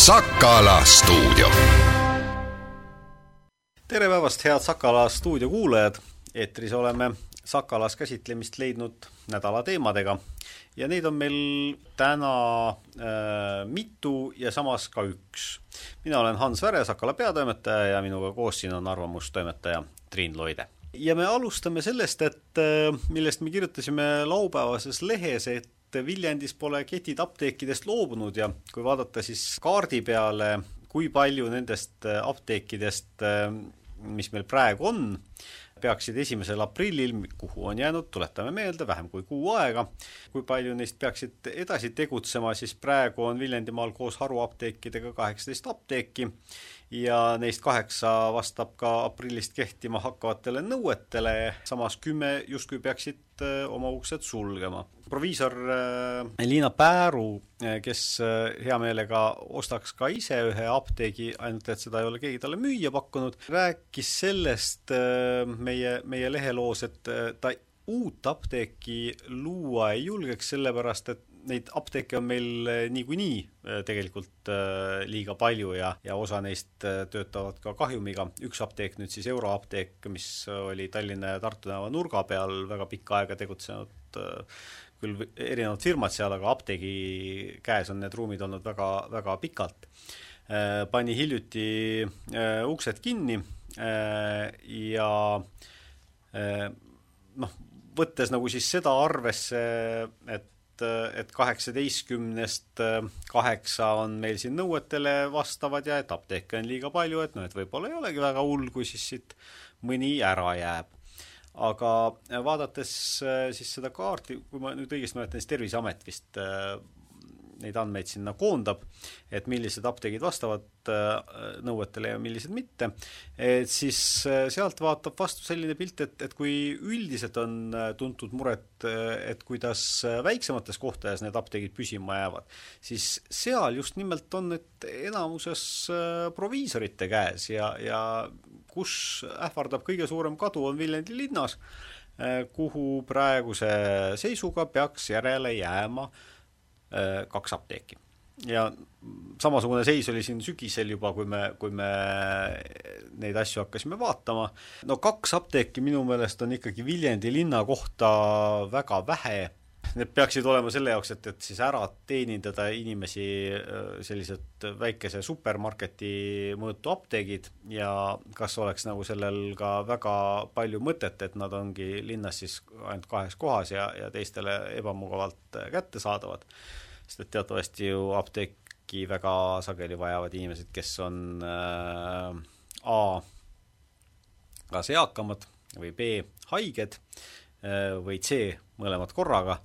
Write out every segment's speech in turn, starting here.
Sakala stuudio. Tere päevast, head Sakala stuudio kuulajad. Eetris oleme Sakalas käsitlemist leidnud nädala teemadega ja neid on meil täna mitu ja samas ka üks. Mina olen Hans Väre, Sakala peatoimetaja ja minuga koos siin on arvamustoimetaja Triin Loide. Ja me alustame sellest, et millest me kirjutasime laupäevases lehes, et Viljandis pole ketid apteekidest loobunud ja kui vaadata siis kaardi peale, kui palju nendest apteekidest, mis meil praegu on, peaksid 1. aprillil, kuhu on jäänud, tuletame meelde, vähem kui kuu aega, kui palju neist peaksid edasi tegutsema, siis praegu on Viljandimaal koos haruapteekidega 18 apteeki ja neist 8 vastab ka aprillist kehtima hakkavatele nõuetele, samas 10 justkui peaksid oma uksed sulgema. Proviisor Liina Pääru, kes hea meelega ostaks ka ise ühe apteegi, ainult et seda ei ole keegi talle müüa pakkunud, rääkis sellest meie leheloos, et ta uut apteeki luua ei julgeks, sellepärast et neid apteeke on meil niikuinii tegelikult liiga palju ja osa neist töötavad ka kahjumiga. Üks apteek, nüüd siis Euroapteek, mis oli Tallinna ja Tartu tänava nurga peal väga pikka aega tegutsenud, küll erinevad firmad seal, aga apteegi käes on need ruumid olnud väga, väga pikalt. Pani hiljuti uksed kinni ja võttes nagu siis seda arvesse, et 18-st 8 on meil siin nõuetele vastavad ja et apteeke on liiga palju, et et võib-olla ei olegi väga hull, kui siis siit mõni ära jääb. Aga vaadates siis seda kaarti, kui ma nüüd õigesti mäletan, siis Terviseamet vist neid andmeid sinna koondab, et millised apteegid vastavad nõuetele ja millised mitte, et siis sealt vaatab vastu selline pilt, et kui üldiselt on tuntud muret, et kuidas väiksemates kohtades need apteegid püsima jäävad, siis seal just nimelt on need enamuses proviisorite käes ja kus ähvardab kõige suurem kadu on Viljandi linnas, kuhu praeguse seisuga peaks järele jääma 2 apteeki. Ja samasugune seis oli siin sügisel juba, kui me neid asju hakkasime vaatama. 2 apteeki minu meelest on ikkagi Viljandi linna kohta väga vähe. Need peaksid olema selle jaoks, et siis ära teenindada inimesi sellised väikese supermarketi mõõtu apteegid ja kas oleks nagu sellel ka väga palju mõtet, et nad ongi linnas siis ainult 2 kohas ja teistele ebamugavalt kätte saadavad. Sest et teatavasti ju apteeki väga sageli vajavad inimesed, kes on A, kas eakamad või B, haiged või C, mõlemad korraga,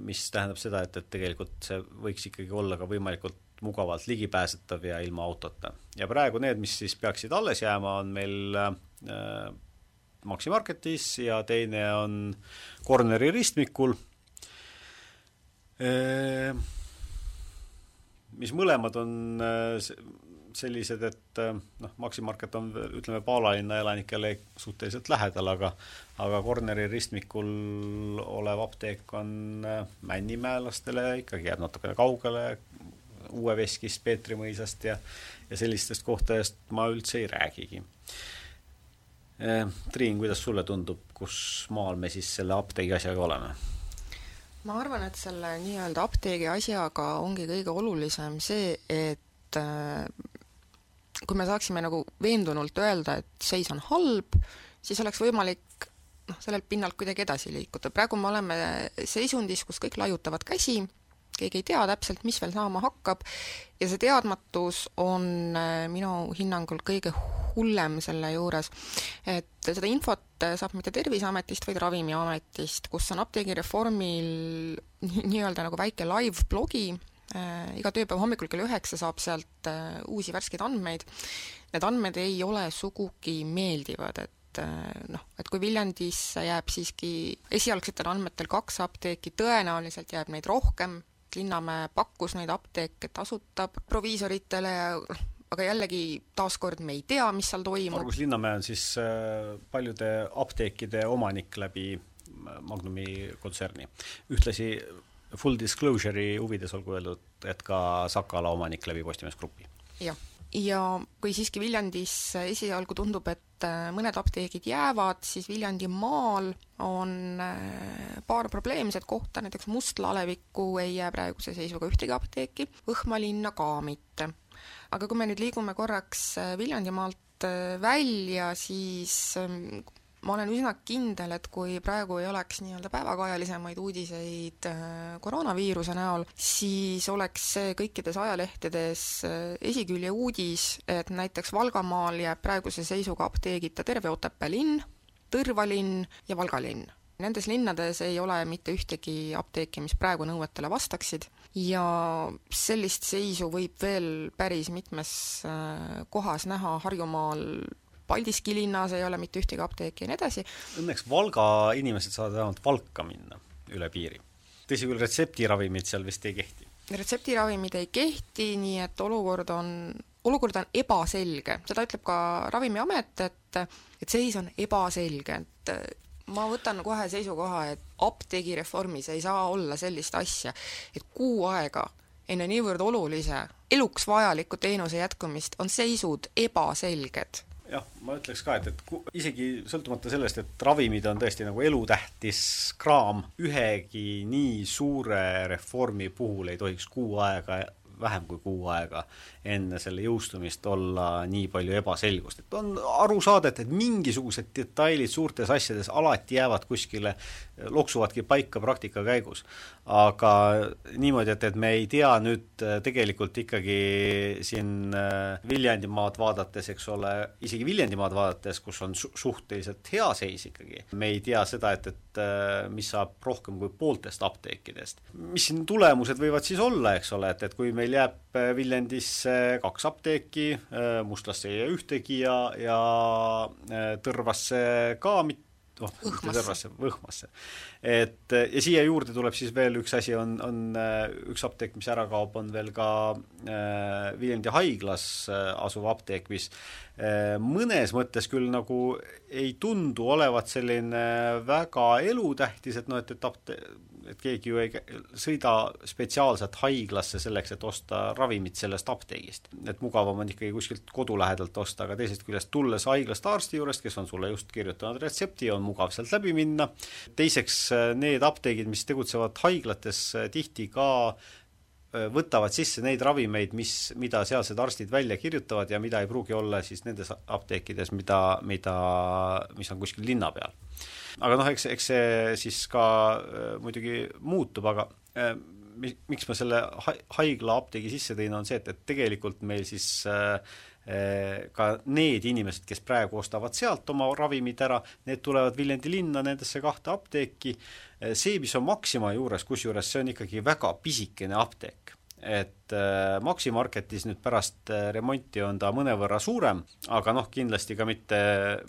mis tähendab seda, et tegelikult see võiks ikkagi olla ka võimalikult mugavalt ligipääsetav ja ilma autota. Ja praegu need, mis siis peaksid alles jääma, on meil Maxi Marketis ja teine on Corneri ristmikul, mis mõlemad on sellised, et Maxi Market on, ütleme, Paalalinna elanikele suhteliselt lähedal, aga Corneri ristmikul olev apteek on männimäelastele, ikkagi jääb natukene kaugele, Uue Veskist, Peetri mõisast ja sellistest kohtadest ma üldse ei räägigi. Triin, kuidas sulle tundub, kus maal me siis selle apteegi asjaga oleme? Ma arvan, et selle nii-öelda apteegi asjaga ongi kõige olulisem see, et kui me saaksime nagu veendunult öelda, et seis on halb, siis oleks võimalik sellel pinnalt kuidagi edasi liikuda. Praegu me oleme seisundis, kus kõik laiutavad käsi, keegi ei tea täpselt, mis veel saama hakkab ja see teadmatus on minu hinnangul kõige hullem selle juures, et seda infot saab mitte Terviseametist, vaid Ravimiametist, kus on apteegireformil nii-öelda nagu väike live-blogi. Iga tööpäev hommikul kell 9 saab sealt uusi värskeid andmeid. Need andmed ei ole sugugi meeldivad, et kui Viljandis jääb siiski esialgsetel andmetel 2 apteeki, tõenäoliselt jääb neid rohkem. Linnamäe pakkus neid apteeke tasutab proviisoritele ja aga jällegi taaskord me ei tea, mis seal toimub. Margus Linnamäe on siis paljude apteekide omanik läbi Magnumi kontserni. Ühtlasi full disclosure'i huvides olgu öeldud, et ka Sakala omanik läbi Postimees Grupi. Jah. Ja kui siiski Viljandis esialgu tundub, et mõned apteegid jäävad, siis Viljandi maal on paar probleemset kohta, näiteks Mustlaalevikku ei jää praeguse seisuga ühtegi apteeki, Võhmalinna ka mitte. Aga kui me nüüd liigume korraks Viljandimaalt välja, siis ma olen üsna kindel, et kui praegu ei oleks nii-öelda päevakajalisemaid uudiseid koroonaviiruse näol, siis oleks see kõikides ajalehtedes esikülje uudis, et näiteks Valgamaal jääb praeguse seisuga apteegita terve Otepää linn, Tõrva linn ja Valga linn. Nendes linnades ei ole mitte ühtegi apteeki, mis praegu nõuetele vastaksid, ja sellist seisu võib veel päris mitmes kohas näha Harjumaal. Paldiski linnas ei ole mitte ühtegi apteeki ja nii edasi. Õnneks Valga inimesed saavad vähemalt Valka minna üle piiri. Tõsi küll, retseptiravimid seal vist ei kehti. Retseptiravimid ei kehti, nii et olukord on ebaselge. Seda ütleb ka Ravimiamet, et seis on ebaselge. Et ma võtan kohe seisukoha, et apteegireformis ei saa olla sellist asja, et kuu aega enne niivõrd olulise, eluks vajaliku teenuse jätkumist on seisud ebaselged. Jah, ma ütleks ka, et isegi sõltumata sellest, et ravimid on tõesti nagu elutähtis kraam, ühegi nii suure reformi puhul ei tohiks vähem kui kuu aega enne selle jõustumist olla nii palju ebaselgust. Et on aru saada, et mingisugused detailid suurtes asjades alati jäävad kuskile, loksuvadki paika praktika käigus. Aga niimoodi, et me ei tea nüüd tegelikult ikkagi siin Viljandimaad vaadates, eks ole, isegi Viljandimaad vaadates, kus on suhteliselt hea seis ikkagi. Me ei tea seda, et mis saab rohkem kui pooltest apteekidest. Mis siin tulemused võivad siis olla, eks ole, et kui meil jääb Viljandisse 2 apteeki, Mustlasse ei ühtegi ja Tõrvasse ka Võhmasse. Ja siia juurde tuleb siis veel üks asi, on üks apteek, mis ära kaob, on veel ka Viljandi haiglas asuv apteek, mis mõnes mõttes küll nagu ei tundu olevat selline väga elutähtis, et keegi ju ei sõida spetsiaalselt haiglasse selleks, et osta ravimit sellest apteegist. Et mugavam on ikkagi kuskilt kodu lähedalt osta, aga teisest küljest tulles haiglast arsti juurest, kes on sulle just kirjutanud retsepti, on mugav sealt läbi minna. Teiseks, need apteegid, mis tegutsevad haiglates, tihti ka võtavad sisse neid ravimeid, mida sealsed arstid välja kirjutavad ja mida ei pruugi olla siis nendes apteekides, mis on kuskil linna peal. Aga eks see siis ka muidugi muutub, aga miks ma selle haigla apteegi sisse tõin, on see, et tegelikult meil siis ka need inimesed, kes praegu ostavad sealt oma ravimid ära, need tulevad Viljandi linna nendesse 2 apteeki. See, mis on Maxima juures, kusjuures see on ikkagi väga pisikene apteek. Et Maximarketis nüüd pärast remonti on ta mõnevõrra suurem, aga kindlasti ka mitte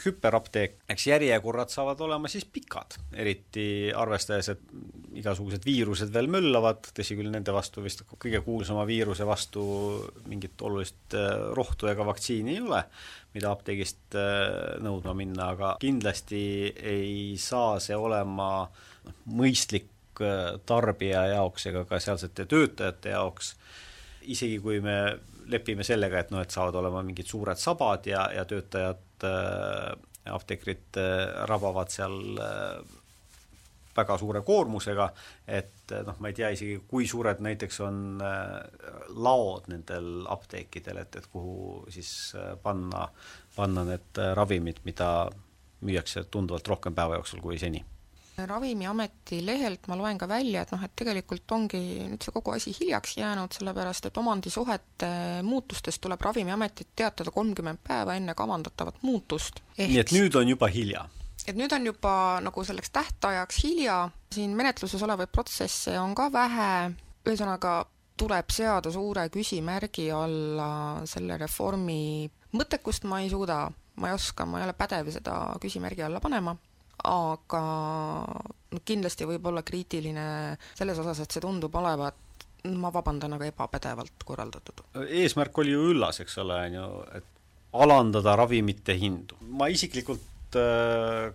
hüperapteek. Eks järjekorrad saavad olema siis pikad, eriti arvestades, et igasugused viirused veel möllavad, tõsi küll nende vastu vist kõige kuulsama viiruse vastu mingit olulist rohtu ega vaktsiini ei ole, mida apteegist nõudma minna, aga kindlasti ei saa see olema mõistlik tarbija jaoks ega ka sealsete töötajate jaoks, isegi kui me lepime sellega, et saavad olema mingid suured sabad ja töötajad, apteekrid rabavad seal väga suure koormusega, et ma ei tea isegi, kui suured näiteks on laod nendel apteekidel, et kuhu siis panna need ravimid, mida müüakse tunduvalt rohkem päeva jooksul kui seni. Ravimiameti lehelt ma loen ka välja, et tegelikult ongi nüüd see kogu asi hiljaks jäänud, sellepärast et omandisuhete muutustest tuleb Ravimiametit teatada 30 päeva enne kavandatavat muutust. Nii et nüüd on juba hilja. Et nüüd on juba nagu selleks tähtajaks hilja, siin menetluses olevaid protsesse on ka vähe, ühesõnaga tuleb seada suure küsimärgi alla selle reformi mõttekust, ma ei suuda, ma ei oska, ma ei ole pädev seda küsimärgi alla panema, aga kindlasti võib olla kriitiline selles osas, et see tundub olevat, ma vabandan, aga ebapädevalt korraldatud. Eesmärk oli ju üllas, eks ole, et alandada ravimite hindu. Ma isiklikult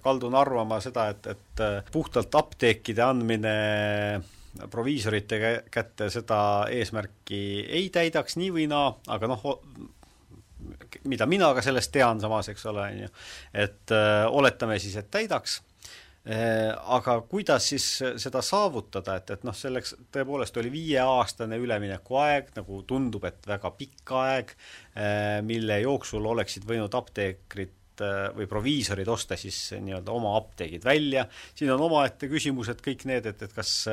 kaldun arvama seda, et puhtalt apteekide andmine proviisorite kätte seda eesmärki ei täidaks nii või naa, aga noh, mida mina ka sellest tean samas, eks ole, et oletame siis, et täidaks, aga kuidas siis seda saavutada, et noh, selleks tõepoolest oli 5-aastane üleminekuaeg, nagu tundub, et väga pikk aeg, mille jooksul oleksid võinud apteekrid või proviisorid osta siis nii-öelda oma apteegid välja. Siin on omaette küsimus, et kõik need, et kas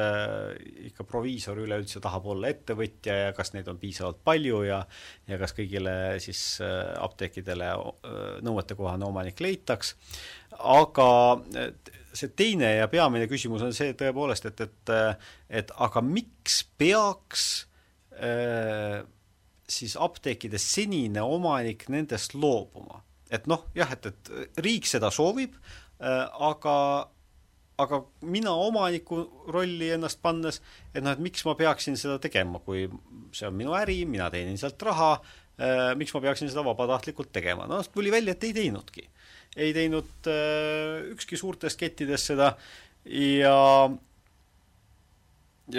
ikka proviisor üleüldse tahab olla ettevõtja ja kas neid on piisavalt palju ja kas kõigile siis apteekidele nõuetekohane omanik leitaks. Aga see teine ja peamine küsimus on see tõepoolest, et aga miks peaks siis apteekide senine omanik nendest loobuma? Et noh, jah, et riik seda soovib, aga mina omaniku rolli ennast pannes, et noh, et miks ma peaksin seda tegema, kui see on minu äri, mina teenin sealt raha, miks ma peaksin seda vabatahtlikult tegema? No tuli välja, et ei teinudki. Ei teinud ükski suurtest kettidest seda ja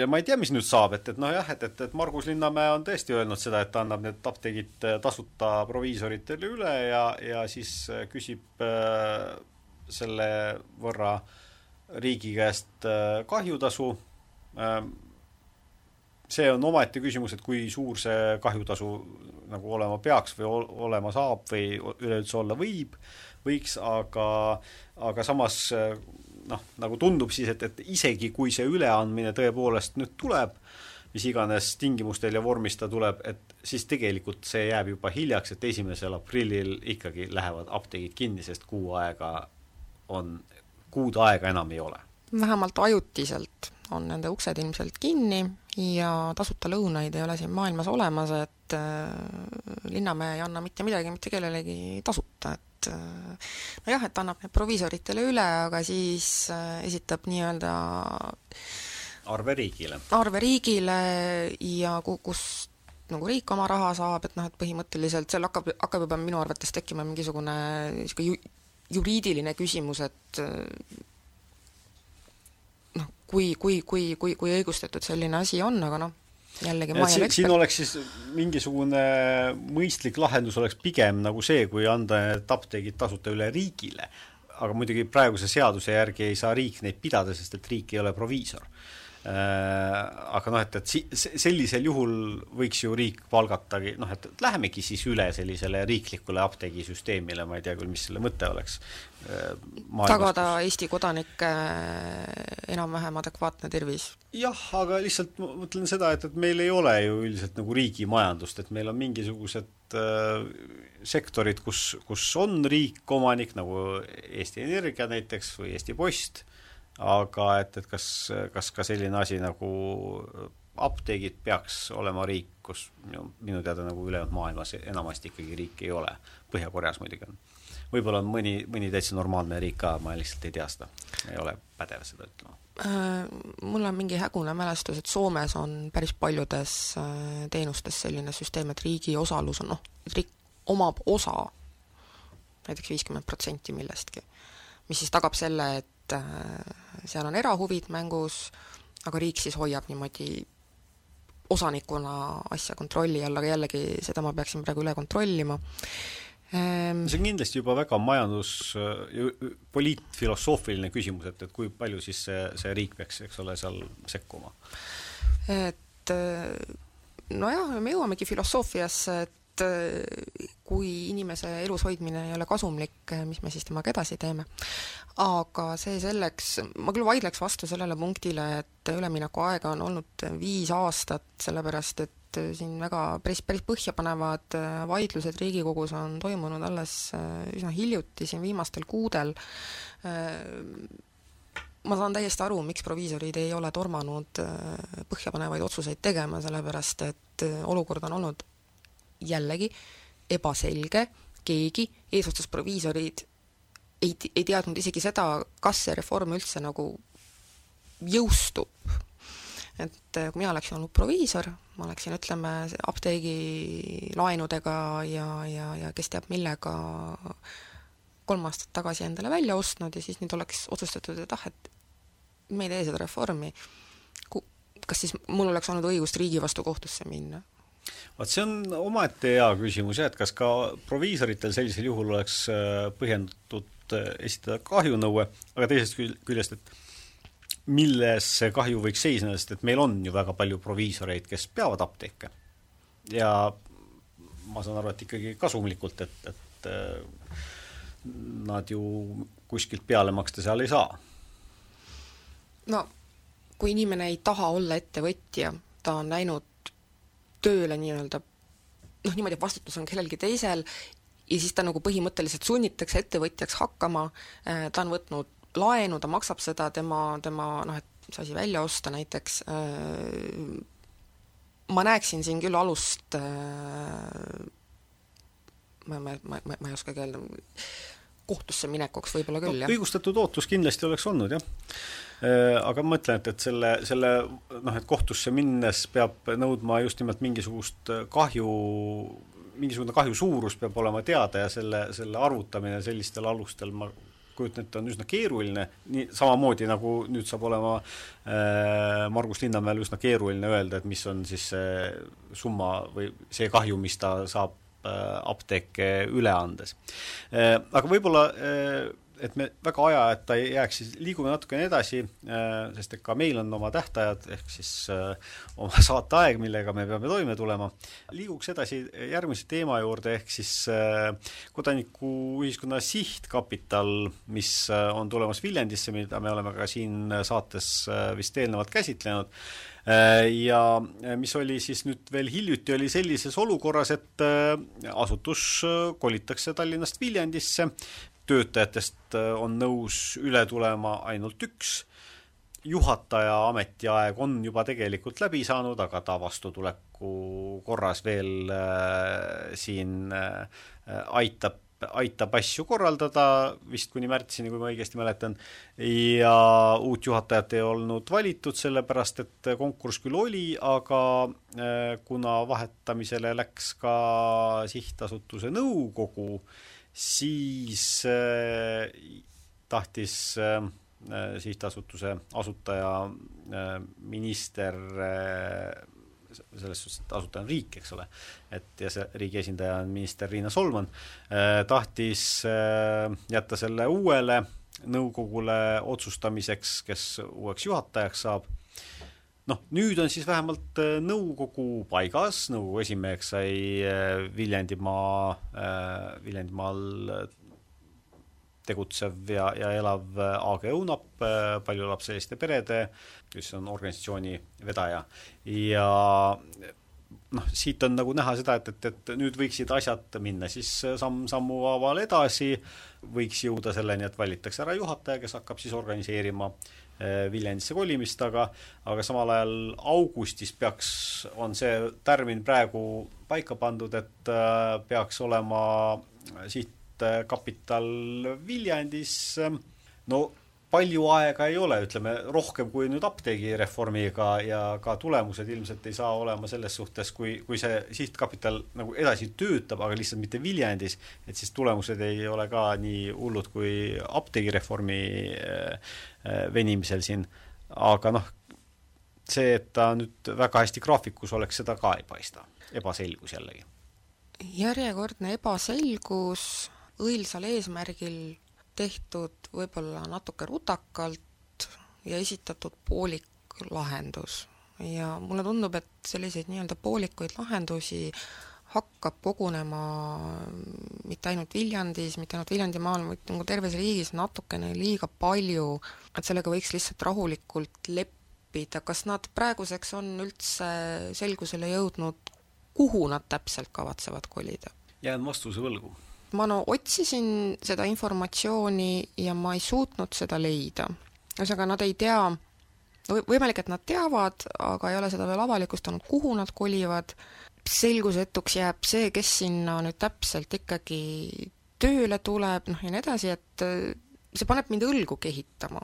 ma ei tea, mis nüüd saab, et noh jah, et Margus Linnamäe on tõesti öelnud seda, et ta annab need apteegid tasuta proviisoritele üle ja siis küsib selle võrra riigi käest kahjutasu. See on omaette küsimus, et kui suur see kahjutasu nagu olema peaks või olema saab või üleüldse olla võiks, aga samas noh, nagu tundub siis, et isegi kui see üleandmine tõepoolest nüüd tuleb, mis iganes tingimustel ja vormis ta tuleb, et siis tegelikult see jääb juba hiljaks, et 1. aprillil ikkagi lähevad apteegid kinni, sest kuud aega enam ei ole. Vähemalt ajutiselt on nende uksed ilmselt kinni ja tasuta lõunaid ei ole siin maailmas olemas, et Linnamäe ei anna mitte midagi, mitte kellelegi tasuta, no jah, et annab need proviisoritele üle, aga siis esitab nii-öelda arve riigile ja kus nagu riik oma raha saab, et noh, et põhimõtteliselt seal hakkab juba minu arvates tekkima mingisugune juriidiline küsimus, et noh, kui õigustatud selline asi on, aga noh, jällegi siin oleks siis mingisugune mõistlik lahendus oleks pigem nagu see, kui anda need apteegid tasuta üle riigile, aga muidugi praeguse seaduse järgi ei saa riik neid pidada, sest et riik ei ole proviisor. Aga noh, et sellisel juhul võiks ju riik palgatagi, noh, et lähemegi siis üle sellisele riiklikule apteegisüsteemile, ma ei tea küll, mis selle mõte oleks. Tagada Eesti kodanike enam-vähem adekvaatne tervis. Jah, aga lihtsalt ma mõtlen seda, et meil ei ole ju üldiselt nagu riigi majandust, et meil on mingisugused sektorid, kus on riik omanik, nagu Eesti Energia näiteks või Eesti Post, aga et kas ka selline asi nagu apteegid peaks olema riik, kus minu teada nagu ülejäänud maailmas enamasti ikkagi riik ei ole. Põhja-Koreas muidugi on. Võib-olla on mõni täitsa normaalne riik ka, ma lihtsalt ei tea seda. Ei ole pädev seda ütlema. Mul on mingi hägune mälestus, et Soomes on päris paljudes teenustes selline süsteem, et riigi osalus on, et riik omab osa, näiteks 50% millestki, mis siis tagab selle, et seal on erahuvid mängus, aga riik siis hoiab niimoodi osanikuna asja kontrolli all, aga jällegi seda ma peaksin praegu üle kontrollima. See on kindlasti juba väga poliitfilosoofiline küsimus, et kui palju siis see riik peaks, eks ole, seal sekkuma? Et nojah, me jõuamegi filosoofiasse, et kui inimese elus hoidmine ei ole kasumlik, mis me siis temaga edasi teeme. Aga see selleks, ma küll vaidleks vastu sellele punktile, et ülemineku aega on olnud 5 aastat, sellepärast et siin väga päris põhjapanevad vaidlused Riigikogus on toimunud alles üsna hiljuti, siin viimastel kuudel. Ma saan täiesti aru, miks proviisorid ei ole tormanud põhjapanevaid otsuseid tegema, sellepärast et olukord on olnud jällegi ebaselge, keegi eesotsas proviisorid ei teadnud isegi seda, kas see reform üldse nagu jõustub. Et kui mina oleksin olnud proviisor, ma oleksin, ütleme, apteegi laenudega ja kes teab millega 3 aastat tagasi endale välja ostnud ja siis nüüd oleks otsustatud, et et me ei tee seda reformi. kas siis mul oleks olnud õigust riigi vastu kohtusse minna? Vaat see on omaette hea küsimus, et kas ka proviisoritel sellisel juhul oleks põhjendatud esitada kahjunõue, aga teisest küljest, et milles see kahju võiks seisneda, sest et meil on ju väga palju proviisoreid, kes peavad apteeke. Ja ma saan aru, et ikkagi kasumlikult, et nad ju kuskilt peale maksta seal ei saa. No, kui inimene ei taha olla ettevõtja, ta on läinud tööle nii-öelda, niimoodi vastutus on kellelgi teisel ja siis ta nagu põhimõtteliselt sunnitakse ettevõtjaks hakkama, ta on võtnud laenu, ta maksab seda, tema et see asi välja osta näiteks, ma näeksin siin küll alust, ma ei oskagi öelda, kohtusse minekuks võib-olla küll, jah. Õigustatud ootus kindlasti oleks olnud, jah. Aga ma mõtlen, et et kohtusse minnes peab nõudma just nimelt mingisugune kahju suurus peab olema teada ja selle arvutamine sellistel alustel ma kujutan, et on üsna keeruline, nii samamoodi nagu nüüd saab olema Margus Linnamäel üsna keeruline öelda, et mis on siis see summa või see kahju, mis ta saab apteeke üle andes. Aga võib-olla et me väga aja, et ta ei jääks, siis liigume natukene edasi, sest ka meil on oma tähtajad, ehk siis oma saateaeg, millega me peame toime tulema. Liiguks edasi järgmise teema juurde, ehk siis kodanikuühiskonna sihtkapital, mis on tulemas Viljandisse, mida me oleme ka siin saates vist eelnevalt käsitlenud. Ja mis oli siis nüüd veel hiljuti oli sellises olukorras, et asutus kolitakse Tallinnast Viljandisse, töötajatest on nõus üle tulema ainult üks. Juhataja ametiaeg on juba tegelikult läbi saanud, aga ta vastutuleku korras veel siin aitab asju korraldada, vist kuni märtsini, kui ma õigesti mäletan, ja uut juhatajat ei olnud valitud, sellepärast et konkurss küll oli, aga kuna vahetamisele läks ka sihtasutuse nõukogu, siis tahtis sihtasutuse asutaja minister, selles suhtes, et asutaja on riik, eks ole, ja see riigi esindaja on minister Riina Solman, tahtis jätta selle uuele nõukogule otsustamiseks, kes uueks juhatajaks saab. Nüüd on siis vähemalt nõukogu paigas, nõukogu esimeheks sai Viljandimaal tegutsev ja elav AG UNAP, paljulapseliste perede, kes on organisatsiooni vedaja. Ja siit on nagu näha seda, et nüüd võiksid asjad minna siis sammu haaval edasi, võiks jõuda selleni, et valitakse ära juhataja, kes hakkab siis organiseerima Viljandisse kolimist, aga samal ajal augustis on see tärmin praegu paika pandud, et peaks olema sihtkapital Viljandis. Palju aega ei ole, ütleme rohkem kui nüüd apteegireformiga ja ka tulemused ilmselt ei saa olema selles suhtes, kui see sihtkapital nagu edasi töötab, aga lihtsalt mitte Viljandis, et siis tulemused ei ole ka nii hullud kui apteegireformi venimisel siin. Aga see, et ta nüüd väga hästi graafikus oleks, seda ka ei paista. Ebaselgus jällegi. Järjekordne ebaselgus õilsal eesmärgil tehtud võib-olla natuke rutakalt ja esitatud poolik lahendus. Ja mulle tundub, et selliseid nii-öelda poolikuid lahendusi hakkab kogunema mitte ainult Viljandis, mitte ainult Viljandimaal, vaid nagu terves riigis natukene liiga palju, et sellega võiks lihtsalt rahulikult leppida. Kas nad praeguseks on üldse selgusele jõudnud, kuhu nad täpselt kavatsevad kolida? Jään vastuse võlgu. Ma otsisin seda informatsiooni ja ma ei suutnud seda leida. Ühesõnaga, nad ei tea, võimalik, et nad teavad, aga ei ole seda veel avalikustanud, kuhu nad kolivad. Selgusetuks jääb see, kes sinna nüüd täpselt ikkagi tööle tuleb, ja nii edasi, et see paneb mind õlgu kehitama.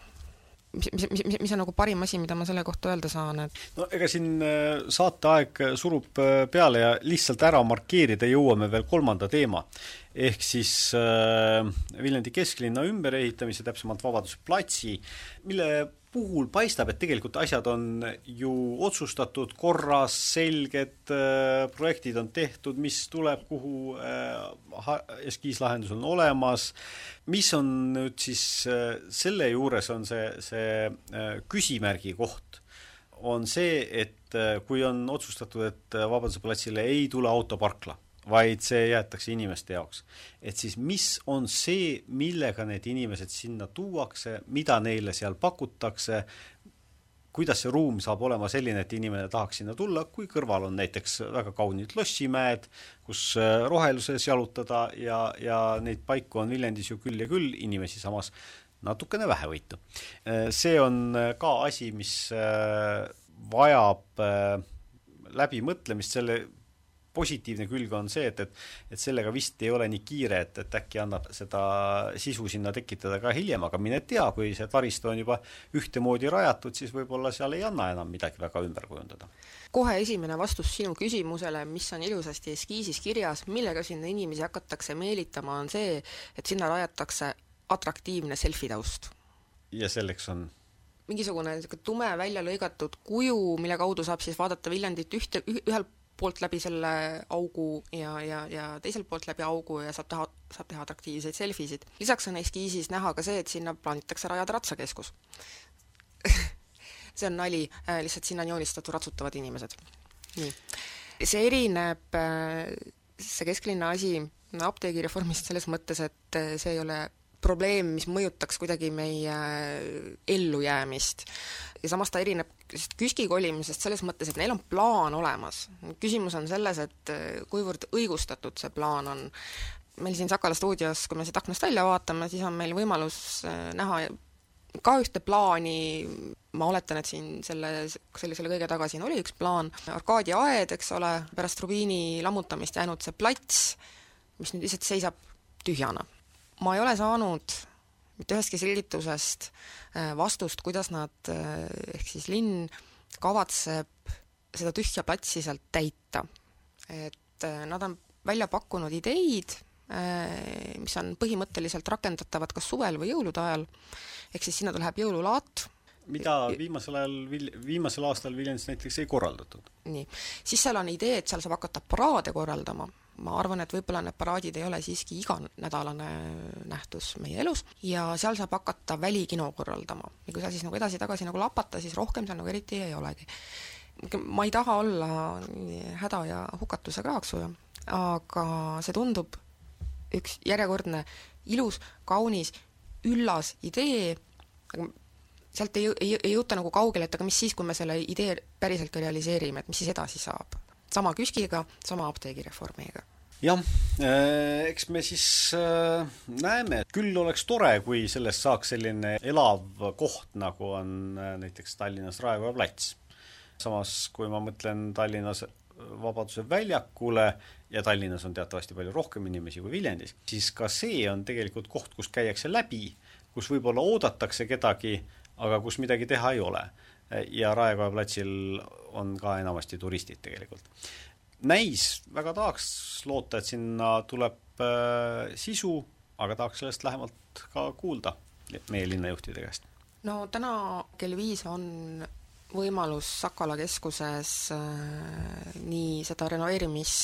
Mis on nagu parim asi, mida ma selle kohta öelda saan? Ega siin saateaeg surub peale ja lihtsalt ära markeerida jõuame veel kolmanda teema. Ehk siis Viljandi kesklinna ümberehitamise, täpsemalt Vabaduse platsi, mille puhul paistab, et tegelikult asjad on ju otsustatud, korras, selged, projektid on tehtud, mis tuleb, kuhu eskiislahendus on olemas. Mis on nüüd siis selle juures on see küsimärgi koht, on see, et kui on otsustatud, et Vabaduse platsile ei tule autoparkla, vaid see jäetakse inimeste jaoks. Et siis mis on see, millega need inimesed sinna tuuakse, mida neile seal pakutakse, kuidas see ruum saab olema selline, et inimene tahaks sinna tulla, kui kõrval on näiteks väga kaunid lossimäed, kus roheluses jalutada ja neid paiku on Viljandis ju küll ja küll, inimesi samas natukene vähevõitu. See on ka asi, mis vajab läbimõtlemist, selle positiivne külg on see, et sellega vist ei ole nii kiire, et äkki annab seda sisu sinna tekitada ka hiljem, aga mine tea, kui see taristu on juba ühtemoodi rajatud, siis võib-olla seal ei anna enam midagi väga ümber kujundada. Kohe esimene vastus sinu küsimusele, mis on ilusasti eskiisis kirjas, millega sinna inimesi hakatakse meelitama, on see, et sinna rajatakse atraktiivne selfie-taust. Ja selleks on? Mingisugune tume välja lõigatud kuju, mille kaudu saab siis vaadata Viljandit ühel poolt läbi selle augu ja teiselt poolt läbi augu ja saab teha atraktiivseid selfisid. Lisaks on eskiisis näha ka see, et sinna plaanitakse rajada ratsakeskus. See on nali, lihtsalt sinna on joonistatud ratsutavad inimesed. Nii. See erineb, see kesklinna asi apteegireformist selles mõttes, et see ei ole probleem, mis mõjutaks kuidagi meie ellujäämist. Ja samas ta erineb KÜSK-i kolimisest selles mõttes, et neil on plaan olemas. Küsimus on selles, et kuivõrd õigustatud see plaan on. Meil siin Sakala stuudios, kui me siit aknast välja vaatame, siis on meil võimalus näha ka ühte plaani. Ma oletan, et siin selle kõige taga siin oli üks plaan. Arkaadi aed, eks ole, pärast Rubiini lammutamist jäänud see plats, mis nüüd lihtsalt seisab tühjana. Ma ei ole saanud mitte ühestki selgitusest vastust, kuidas nad, ehk siis linn kavatseb seda tühja platsi sealt täita. Et nad on välja pakkunud ideid, mis on põhimõtteliselt rakendatavad kas suvel või jõulude ajal, ehk siis sinna tuleb jõululaat. Mida viimasel aastal Viljandis näiteks ei korraldatud. Nii. Siis seal on idee, et seal saab hakata paraade korraldama. Ma arvan, et võib-olla need paraadid ei ole siiski iganädalane nähtus meie elus ja seal saab hakata välikino korraldama. Ja kui sa siis nagu edasi-tagasi nagu lapata, siis rohkem seal nagu eriti ei olegi. Ma ei taha olla häda ja hukatuse kraaksuja, aga see tundub üks järjekordne ilus, kaunis, üllas idee, aga sealt ei jõuta nagu kaugele, et aga mis siis, kui me selle idee päriselt ka realiseerime, et mis siis edasi saab. Sama KÜSK-iga, sama apteegireformiga. Jah, eks me siis näeme, et küll oleks tore, kui sellest saaks selline elav koht, nagu on näiteks Tallinnas Raekoja plats. Samas, kui ma mõtlen Tallinnas Vabaduse väljakule ja Tallinnas on teatavasti palju rohkem inimesi kui Viljandis, siis ka see on tegelikult koht, kus käiakse läbi, kus võib-olla oodatakse kedagi, aga kus midagi teha ei ole. Ja Raekoja platsil on ka enamasti turistid tegelikult. Näis, väga tahaks loota, et sinna tuleb sisu, aga tahaks sellest lähemalt ka kuulda meie linnajuhtide käest. No täna kell 5 on võimalus Sakala keskuses nii seda renoveerimis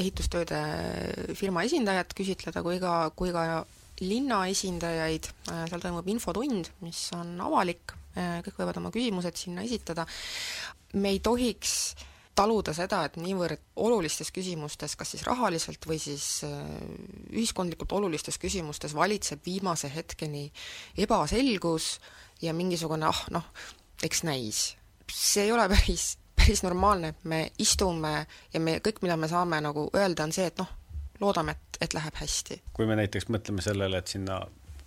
ehitustööde firma esindajat küsitleda kui ka linna esindajaid, seal toimub infotund, mis on avalik, kõik võivad oma küsimused sinna esitada. Me ei tohiks taluda seda, et niivõrd olulistes küsimustes, kas siis rahaliselt või siis ühiskondlikult olulistes küsimustes valitseb viimase hetkeni ebaselgus ja mingisugune, eks näis. See ei ole päris normaalne, et me istume ja kõik, mida me saame nagu öelda, on see, et loodame, et läheb hästi. Kui me näiteks mõtleme sellele, et sinna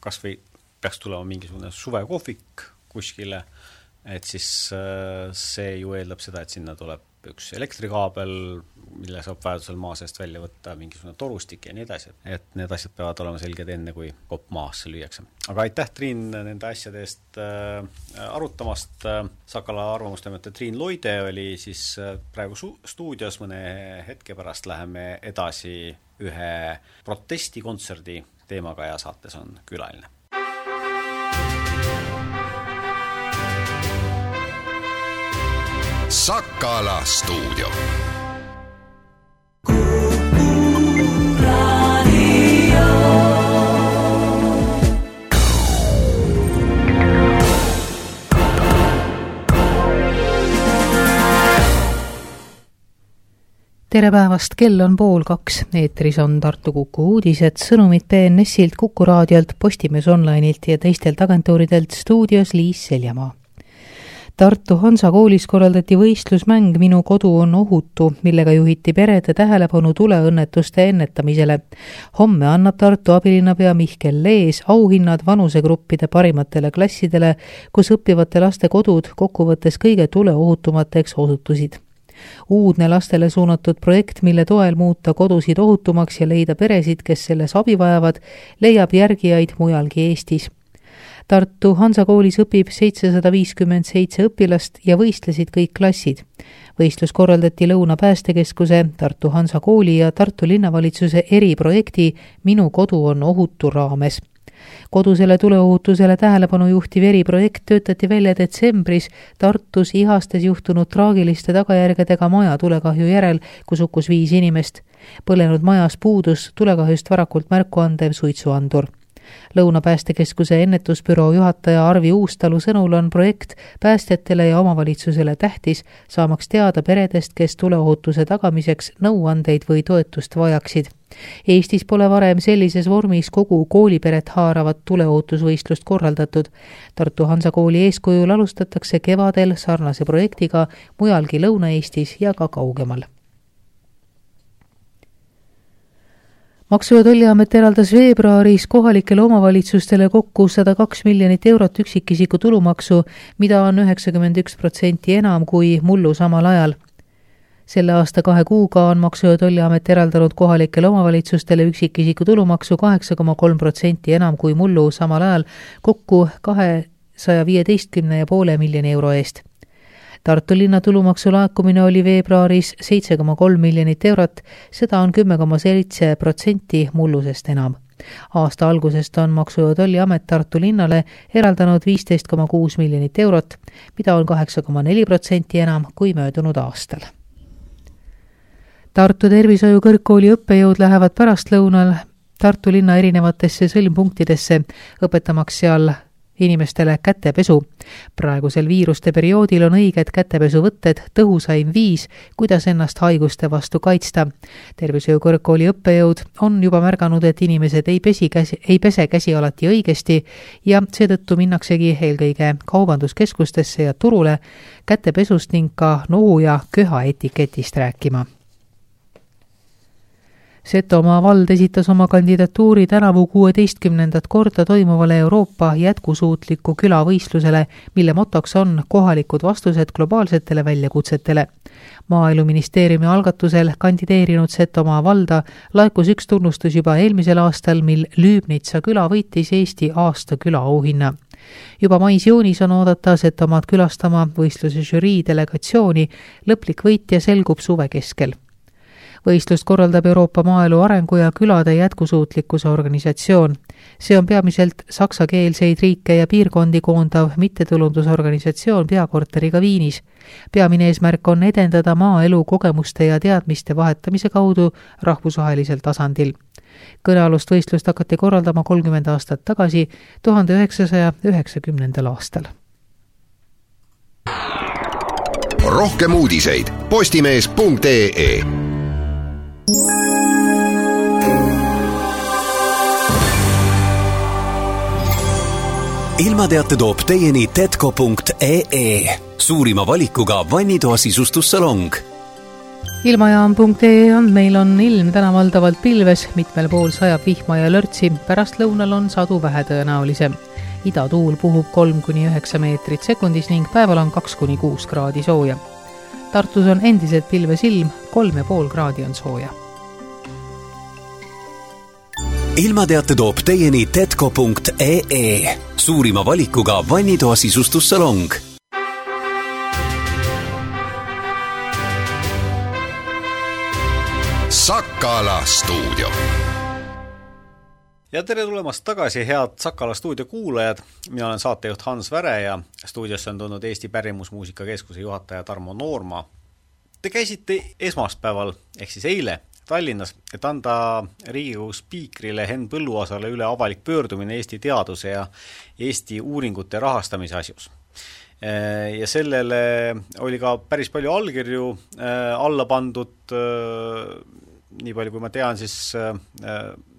kas või peaks tulema mingisugune suvekohvik kuskile, et siis see ju eeldab seda, et sinna tuleb üks elektrikaabel, mille saab vajadusel maa seest välja võtta, mingisugune torustik ja nii edasi. Et need asjad peavad olema selged enne, kui kopp maasse lüüakse. Aga aitäh, Triin, nende asjade eest arutamast. Sakala arvamustoimetaja Triin Loide oli siis praegu stuudios, mõne hetke pärast läheme edasi ühe protestikontserdi teemaga ja saates on külaline. Sakala stuudio. Tere päevast, kell on 1:30. Eetris on Tartu Kuku uudised, sõnumid BNS-ilt, Kuku raadiolt, Postimees Online'ilt ja teistelt agentuuridelt, stuudios Liis Seljamaa. Tartu Hansa koolis korraldati võistlusmäng Minu kodu on ohutu, millega juhiti perede tähelepanu tuleõnnetuste ennetamisele. Homme annab Tartu abilinnapea Mihkel Lees auhinnad vanusegruppide parimatele klassidele, kus õppivate laste kodud kokkuvõttes kõige tuleohutumateks osutusid. Uudne lastele suunatud projekt, mille toel muuta kodusid ohutumaks ja leida peresid, kes selles abi vajavad, leiab järgijaid mujalgi Eestis. Tartu Hansa koolis õpib 757 õpilast ja võistlesid kõik klassid. Võistlus korraldati Lõuna päästekeskuse, Tartu Hansa kooli ja Tartu linnavalitsuse eriprojekti Minu kodu on ohutu raames. Kodusele tuleohutusele tähelepanu juhtiv eriprojekt töötati välja detsembris Tartus Ihastes juhtunud traagiliste tagajärgedega maja tulekahju järel, kus hukkus 5 inimest. Põlenud majas puudus tulekahjust varakult märku andev suitsuandur. Lõuna päästekeskuse ennetusbüroo juhataja Arvi Uustalu sõnul on projekt päästjatele ja omavalitsusele tähtis, saamaks teada peredest, kes tuleohutuse tagamiseks nõuandeid või toetust vajaksid. Eestis pole varem sellises vormis kogu kooliperet haaravat tuleohutusvõistlust korraldatud. Tartu Hansa kooli eeskujul alustatakse kevadel sarnase projektiga mujalgi Lõuna-Eestis ja ka kaugemal. Maksu- ja Tolliamet eraldas veebruaris kohalikele omavalitsustele kokku 102 miljonit eurot üksikisiku tulumaksu, mida on 91% enam kui mullu samal ajal. Selle aasta 2 kuuga on Maksu- ja Tolliamet eraldanud kohalikele omavalitsustele üksikisiku tulumaksu 8,3% enam kui mullu samal ajal, kokku 215,5 miljoni euro eest. Tartu linna tulumaksu laekumine oli veebruaris 7,3 miljonit eurot, seda on 10,7% mullusest enam. Aasta algusest on Maksu- ja Tolliamet Tartu linnale eraldanud 15,6 miljonit eurot, mida on 8,4% enam kui möödunud aastal. Tartu tervishoiu kõrgkooli õppejõud lähevad pärastlõunal Tartu linna erinevatesse sõlmpunktidesse, õpetamaks seal inimestele kätepesu. Praegusel viiruste perioodil on õiged kätepesuvõtted tõhusaim viis, kuidas ennast haiguste vastu kaitsta. Tervishoiu kõrgkooli õppejõud on juba märganud, et inimesed ei pese käsi alati õigesti ja seetõttu minnaksegi eelkõige kaubanduskeskustesse ja turule kätepesust ning ka nohu ja köha etiketist rääkima. Setomaa vald esitas oma kandidatuuri tänavu 16. korda toimuvale Euroopa jätkusuutliku külavõistlusele, mille motoks on kohalikud vastused globaalsetele väljakutsetele. Maaeluministeeriumi algatusel kandideerinud Setomaa valda laekus üks tunnustus juba eelmisel aastal, mil Lüübnitsa küla võitis Eesti aasta külaauhinna. Juba mais-juunis on oodata Setomaad külastama võistluse žürii delegatsiooni, lõplik võitja selgub suve keskel. Võistlust korraldab Euroopa Maaelu Arengu ja Külade jätkusuutlikkuse organisatsioon. See on peamiselt saksakeelseid riike ja piirkondi koondav mittetulundusorganisatsioon peakorteriga Viinis. Peamine eesmärk on edendada maaelu kogemuste ja teadmiste vahetamise kaudu rahvusvahelisel tasandil. Kõnealust võistlust hakati korraldama 30 aastat tagasi, 1990. aastal. Rohkem uudiseid postimees.ee. Ilmateate toob teieni tetco.ee, suurima valikuga vannitoa sisustussalong. Ilmajaam.ee andmeil on ilm täna valdavalt pilves, mitmel pool sajab vihma ja lörtsi, pärast lõunal on sadu vähetõenäolisem. Idatuul puhub 3-9 meetrit sekundis ning päeval on 2-6 kraadi sooja. Tartus on endiselt pilves ilm, 3,5 kraadi on sooja. Ilmateate toob teieni tetco.ee, suurima valikuga vannitoa sisustussalong. Sakala stuudio. Ja tere tulemast tagasi, head Sakala stuudio kuulajad. Mina olen saatejuht Hans Väre ja stuudiosse on tulnud Eesti Pärimusmuusika Keskuse juhataja Tarmo Noorma. Te käisite esmaspäeval, ehk siis eile, Tallinnas, et anda Riigikogu spiikrile Henn Põlluaasale üle avalik pöördumine Eesti teaduse ja Eesti uuringute rahastamise asjus. Ja sellele oli ka päris palju allkirju alla pandud, nii palju kui ma tean, siis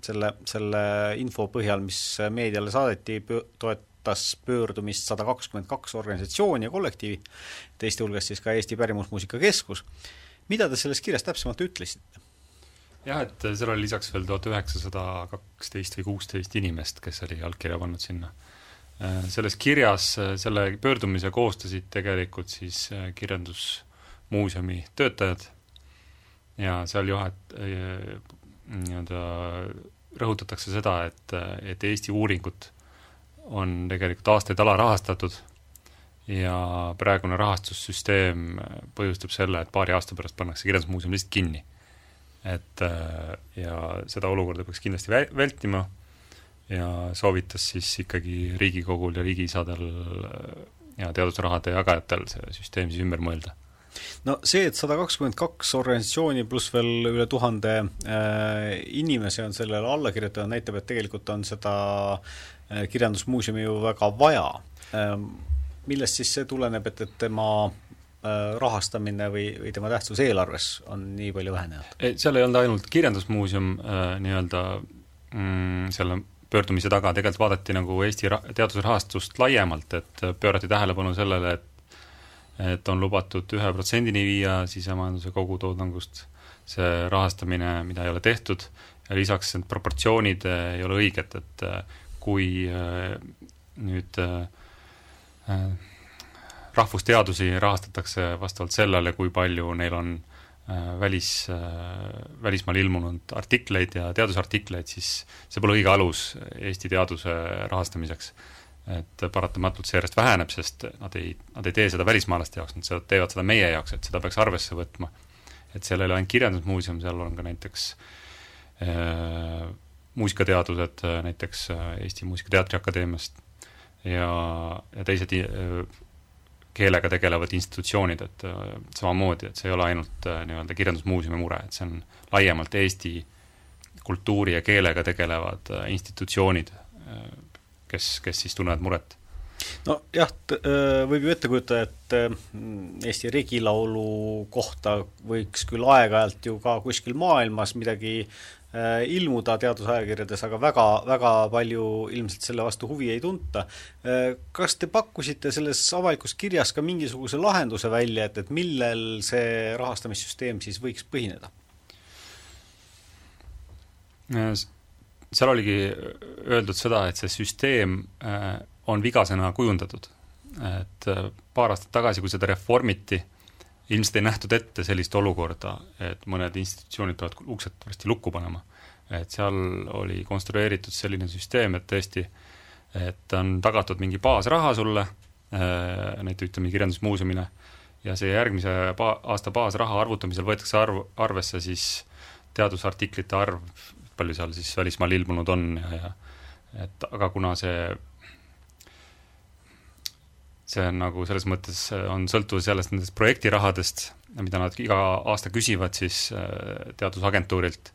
selle info põhjal, mis meediale saadeti, toetas pöördumist 122 organisatsiooni ja kollektiivi, teiste hulgas siis ka Eesti Pärimusmuusika Keskus. Mida te selles kirjas täpsemalt ütlesite? Jah, et seal oli lisaks veel 1912 või 16 inimest, kes oli allkirja pannud sinna. Selles kirjas selle pöördumise koostasid tegelikult siis kirjandusmuuseumi töötajad ja seal rõhutatakse seda, et Eesti uuringut on tegelikult aastaid alarahastatud ja praegune rahastussüsteem põhjustab selle, et paari aasta pärast pannakse kirjandusmuuseum lihtsalt kinni. Ja seda olukorda peaks kindlasti vältima ja soovitas siis ikkagi Riigikogul ja riigiisadel ja teadusrahade jagajatel see süsteem siis ümber mõelda. No see, et 122 organisatsiooni pluss veel üle 1000 inimese on sellele alla kirjutatud, näitab, et tegelikult on seda kirjandusmuuseumi ju väga vaja. Millest siis see tuleneb, et tema rahastamine või tema tähtsus eelarves on nii palju vähenenud? Seal ei olnud ainult kirjandusmuuseum selle pöördumise taga, tegelikult vaadati nagu Eesti teadusrahastust laiemalt, et pöörati tähelepanu sellele, et on lubatud 1%-ni viia sisemajanduse kogutoodangust see rahastamine, mida ei ole tehtud, ja lisaks need proportsioonid ei ole õiged, et kui nüüd rahvusteadusi rahastatakse vastavalt sellele, kui palju neil on välismaal ilmunud artikleid ja teadusartikleid, siis see pole õige alus Eesti teaduse rahastamiseks. Et paratamatult see järjest väheneb, sest nad ei tee seda välismaalaste jaoks, nad teevad seda meie jaoks, et seda peaks arvesse võtma. Et seal ei ole ainult kirjandusmuuseum, seal on ka näiteks muusikateadused, näiteks Eesti Muusikateatri Akadeemiast ja teised keelega tegelevad institutsioonid, et samamoodi, et see ei ole ainult nii-öelda kirjandusmuuseumi mure, et see on laiemalt Eesti kultuuri ja keelega tegelevad institutsioonid, kes siis tunnevad muret. No jah, võib ju ette kujuta, et Eesti regilaulu kohta võiks küll aeg-ajalt ju ka kuskil maailmas midagi ilmuda teadusajakirjades, aga väga palju ilmselt selle vastu huvi ei tunta. Kas te pakkusite selles avalikus kirjas ka mingisuguse lahenduse välja, et millel see rahastamissüsteem siis võiks põhineda? Seal oligi öeldud seda, et see süsteem on vigasena kujundatud. Et paar aastat tagasi, kui seda reformiti, ilmselt ei nähtud ette sellist olukorda, et mõned institutsioonid peavad uksed varsti lukku panema. Et seal oli konstrueeritud selline süsteem, et tõesti, et on tagatud mingi baasraha sulle, näiteks ütleme kirjandusmuuseumile, ja see järgmise aasta baasraha arvutamisel võetakse arvesse siis teadusartiklite arv, palju seal siis välismaal ilmunud on aga kuna see on nagu selles mõttes on sõltuvus sellest nendest projektirahadest, mida nad iga aasta küsivad siis teadusagentuurilt,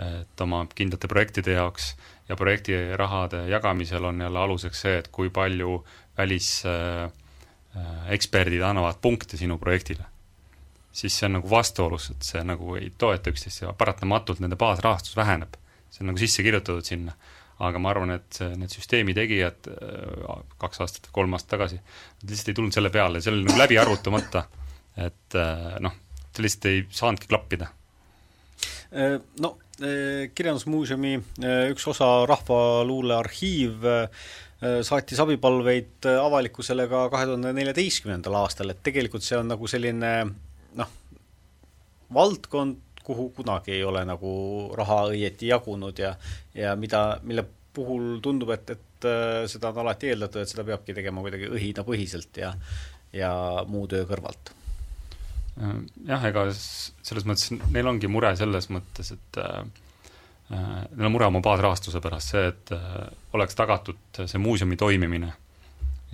et oma kindlate projektide jaoks ja projektirahade jagamisel on jälle aluseks see, et kui palju väliseksperdid annavad punkte sinu projektile. Siis see on nagu vastuolus, et see nagu ei toeta üksteist ja paratamatult nende baasrahastus väheneb. See on nagu sisse kirjutatud sinna. Aga ma arvan, et need süsteemi tegijad 2 aastat või 3 aastat tagasi, nad lihtsalt ei tulnud selle peale, see oli nagu läbi arvutamata, et see lihtsalt ei saanudki klappida. Kirjandusmuuseumi üks osa Rahvaluule arhiiv saatis abipalveid avalikkusele ka 2014. aastal, et tegelikult see on nagu selline valdkond, kuhu kunagi ei ole nagu raha õieti jagunud ja mille puhul tundub, et seda on alati eeldatud, et seda peabki tegema kuidagi õhinapõhiselt ja muu töö kõrvalt. Jah, ega selles mõttes neil ongi mure selles mõttes, et neil on mure oma baasrahastuse pärast see, et oleks tagatud see muuseumi toimimine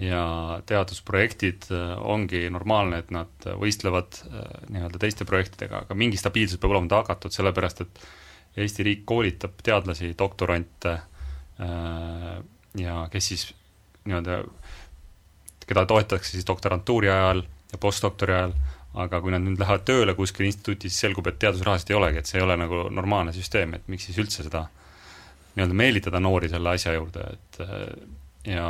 ja teadusprojektid ongi normaalne, et nad võistlevad nii-öelda teiste projektidega, aga mingi stabiilsus peab olema tagatud, sellepärast et Eesti riik koolitab teadlasi, doktorante ja kes siis nii-öelda, keda toetatakse siis doktorantuuri ajal ja postdoktori ajal, aga kui nad nüüd lähevad tööle kuskil instituutis, siis selgub, et teadusrahast ei olegi, et see ei ole nagu normaalne süsteem, et miks siis üldse seda nii-öelda meelitada noori selle asja juurde, et ja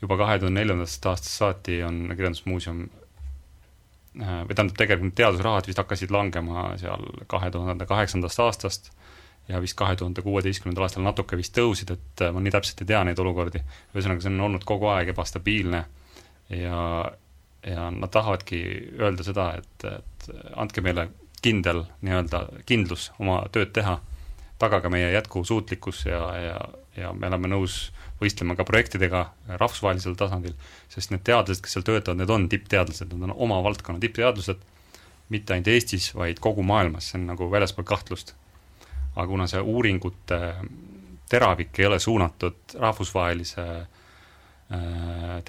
juba 2004. aastast saati on Kirjandusmuuseum või tähendab tegelikult teadusrahad vist hakkasid langema seal 2008. aastast ja vist 2016. aastal natuke vist tõusid, et ma nii täpselt ei tea neid olukordi. Ühesõnaga, see on olnud kogu aeg ebastabiilne ja nad tahavadki öelda seda, et andke meile kindlus oma tööd teha, tagage meie jätkusuutlikkus ja me oleme nõus võistlema ka projektidega rahvusvahelisel tasandil, sest need teadlased, kes seal töötavad, need on tippteadlased, nad on oma valdkonna tippteadlased, mitte ainult Eestis, vaid kogu maailmas, see on nagu väljaspool kahtlust. Aga kuna see uuringute teravik ei ole suunatud rahvusvahelise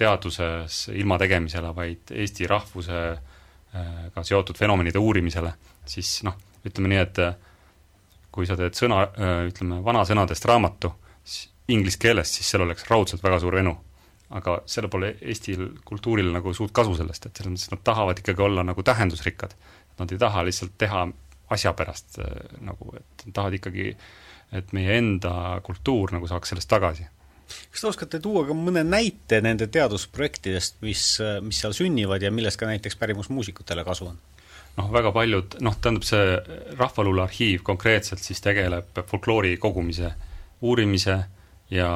teaduses ilma tegemisele, vaid Eesti rahvusega seotud fenomenide uurimisele, siis ütleme nii, et kui sa teed vanasõnadest raamatu inglise keeles, siis seal oleks raudselt väga suur venu. Aga selle pole Eestil kultuuril nagu suurt kasu sellest, et selles mõttes nad tahavad ikkagi olla nagu tähendusrikkad. Nad ei taha lihtsalt teha asja pärast, nagu, et tahavad ikkagi, et meie enda kultuur nagu saaks sellest tagasi. Kas te oskate tuua ka mõne näite nende teadusprojektidest, mis seal sünnivad ja millest ka näiteks pärimusmuusikutele kasu on? Väga paljud, tähendab see Rahvaluule arhiiv konkreetselt siis tegeleb folkloori kogumise, uurimise ja